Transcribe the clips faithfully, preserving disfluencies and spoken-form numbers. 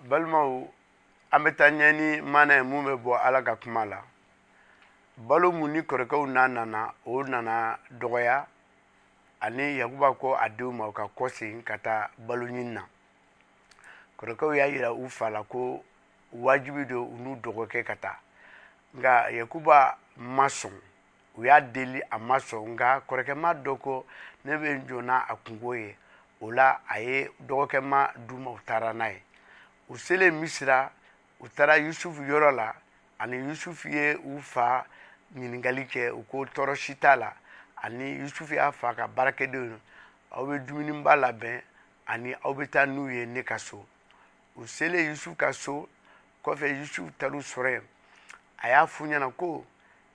Balimaw, an bɛ taa ɲɛ ni maana ye mun bɛ bɔ Ala ka kuma la. Balo mun ni kɔrɔkɛw n'a nana, o nana dɔgɔya, ani Yakuba ko a denw ma u ka kɔsegin ka taa balo ɲini na. Kɔrɔkɛw y'a yira u fa la ko wajibi don u n'u dɔgɔkɛ ka taa, nka Yakuba ma sɔn. U y'a deli, a ma sɔn, nka kɔrɔkɛma dɔ ko ne bɛ n jɔ n'a a kungo ye. O la, a ye dɔgɔkɛma d'u ma, u taara n'a ye. U selen Misira, u taara Yusufu yɔrɔ la, ani Yusufu ye u fa ɲininkali kɛ. U ko tɔɔrɔ si t'a la. Ani Yusufu y'a fa ka baarakɛdenw: aw bɛ dumuniba labɛn, ani aw bɛ taa n'u ye ne ka so. U selen Yusufu ka so kɔfɛ, Yusufu taar'u sɔrɔ yen. A y'a f'u ɲɛna ko: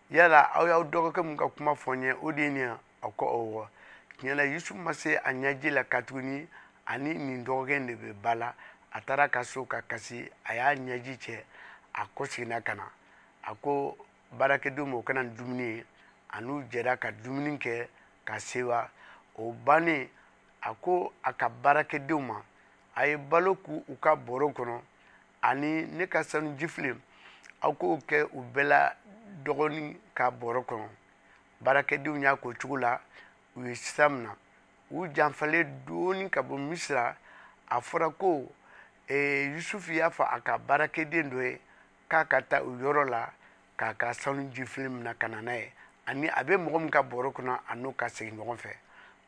yala aw y'aw dɔgɔkɛ mun ka kuma fɔ n ye, o de ye nin ye? A ko ɔwɔ. Tiɲɛ la, Yusufu ma se a ɲɛji la, katuguni ani nin dɔgɔkɛ in de bɛ ba la. A taara ka so ka kasi, a y'a ɲɛji cɛ, a kɔseginna ka na. A ko baarakɛdenw ma u ka na ni dumuni ye, a n'u jɛra ka dumuni kɛ ka sewa. O bannen, a ko a ka baarakɛdenw ma: a ye balo k'u u ka bɔrɔ kɔnɔ, ani ne ka sanu jifilen, aw k'o kɛ u bɛɛ la dɔgɔnin ka bɔrɔ kɔnɔ. Baarakɛdenw y'a k'o cogo la. U ye sira minɛ, u janfalen dɔɔni ka bɔ Misira. A fɔra ko eh, Yusufu y'a fɔ a ka baarakɛden dɔ ye k'a ka taa o yɔrɔ la k'a ka sanu jifilen minɛ ka na n'a ye, ani a bɛ mɔgɔ min ka bɔrɔ kɔnɔ, a n'o ka segin ɲɔgɔn fɛ.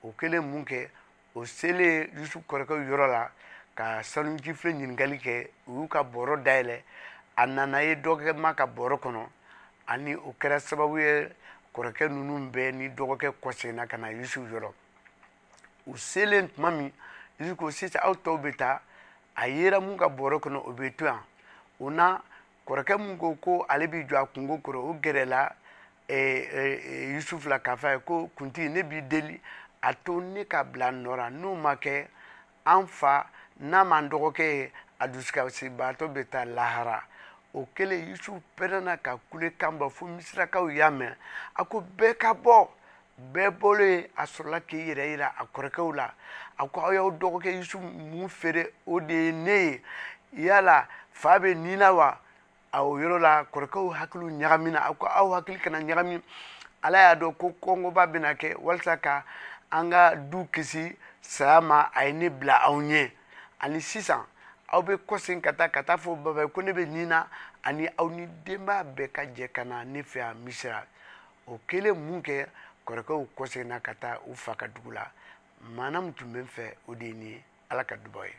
O kɛlen mun kɛ, o selen Yusufu kɔrɔkɛw yɔrɔ la ka sanu jifilen ɲininkali kɛ, u y'u ka bɔrɔ dayɛlɛ, a nana ye dɔgɔkɛ ma ka bɔrɔ kɔnɔ. Ani o kɛra sababu ye, kɔrɔkɛ ninnu bɛɛ ni dɔgɔkɛ kɔseginna ka na Yusufu yɔrɔ. U selen tuma min, Yusufu ko: sisan aw tɔw bɛ taa, a yera mun ka bɔrɔ kɔnɔ, o bɛ to yan. O na kɔrɔkɛ mun ko ko ale b'i jɔ a kungo kɔrɔ, o gɛrɛla Yusufu la k'a fɔ a ye ko: kuntigi, ne b'i deli, a to ne ka bila nɔ la. N'o ma kɛ, an fa n'a m'an dɔgɔkɛ ye, a dusukasibaatɔ bɛ taa lahara. O kɛlen, Yusufu pɛrɛnna ka kulekan bɔ fo Misirakaw y'a mɛn. A ko bɛɛ ka bɔ. Bɛɛ bɔlen, a sɔrɔla k'i yɛrɛ yira a kɔrɔkɛw la. A ko: aw y'aw dɔgɔkɛ Yusufu mun feere, o de ye ne ye. Yala fa bɛ nin na wa? A o yɔrɔ la, kɔrɔkɛw hakiliw ɲagamina. A ko: aw hakili kana ɲagami. Ala y'a dɔn ko kɔngɔba bɛna kɛ, walasa ka an ka du kisi saya ma, a ye ne bila aw ɲɛ. Ani sisan aw bɛ kɔsegin ka taa ka taa fɔ baba ye ko ne bɛ nin na, ani aw ni denbaya bɛɛ ka jɛ ka na ne fɛ yan Misira. O kɛlen mun kɛ, kɔrɔkɛw kɔseginna ka taa u fa ka dugu la. Maana min tun bɛ n fɛ, o de ye nin ye. Ala ka dubaw ye.